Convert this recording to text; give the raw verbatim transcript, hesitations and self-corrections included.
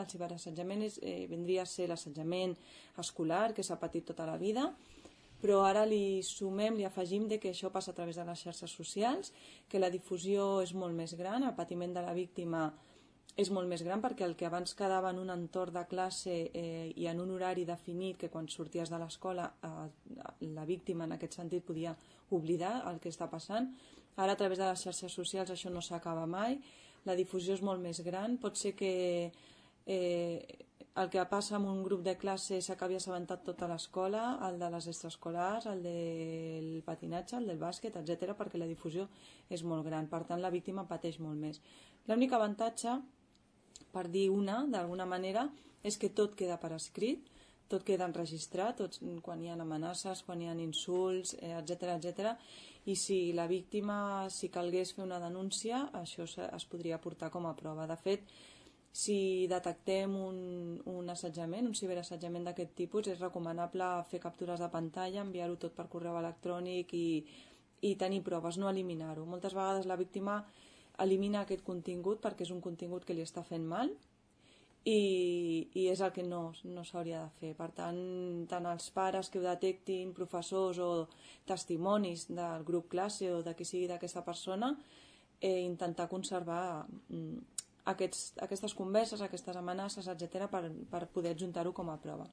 El ciberassetjament és, eh, vindria a ser l'assetjament escolar que s'ha patit tota la vida, però ara li sumem, li afegim de que això passa a través de les xarxes socials, que la difusió és molt més gran, el patiment de la víctima és molt més gran, perquè el que abans quedava en un entorn de classe eh, i en un horari definit, que quan sorties de l'escola eh, la víctima en aquest sentit podia oblidar el que està passant, ara a través de les xarxes socials això no s'acaba mai, la difusió és molt més gran, pot ser que eh, el que passa en un grup de classe s'acabi assabentat tota l'escola, el de les extraescolars, el del patinatge, el del bàsquet, etcètera, perquè la difusió és molt gran, per tant la víctima pateix molt més. L'únic avantatge, per dir una, d'alguna manera, és que tot queda per escrit, tot queda enregistrat, tot, quan hi ha amenaces, quan hi ha insults, etcètera, etcètera, i si la víctima, si calgués fer una denúncia, això es podria portar com a prova. De fet, si detectem un, un assetjament, un ciberassetjament d'aquest tipus, és recomanable fer captures de pantalla, enviar-ho tot per correu electrònic i, i tenir proves, no eliminar-ho. Moltes vegades la víctima elimina aquest contingut perquè és un contingut que li està fent mal i, i és el que no, no s'hauria de fer. Per tant, tant els pares que ho detectin, professors o testimonis del grup classe o de qui sigui d'aquesta persona, eh, intentar conservar mm, Aquests, aquestes converses, aquestes amenaces, etcètera, per, per poder adjuntar-ho com a prova.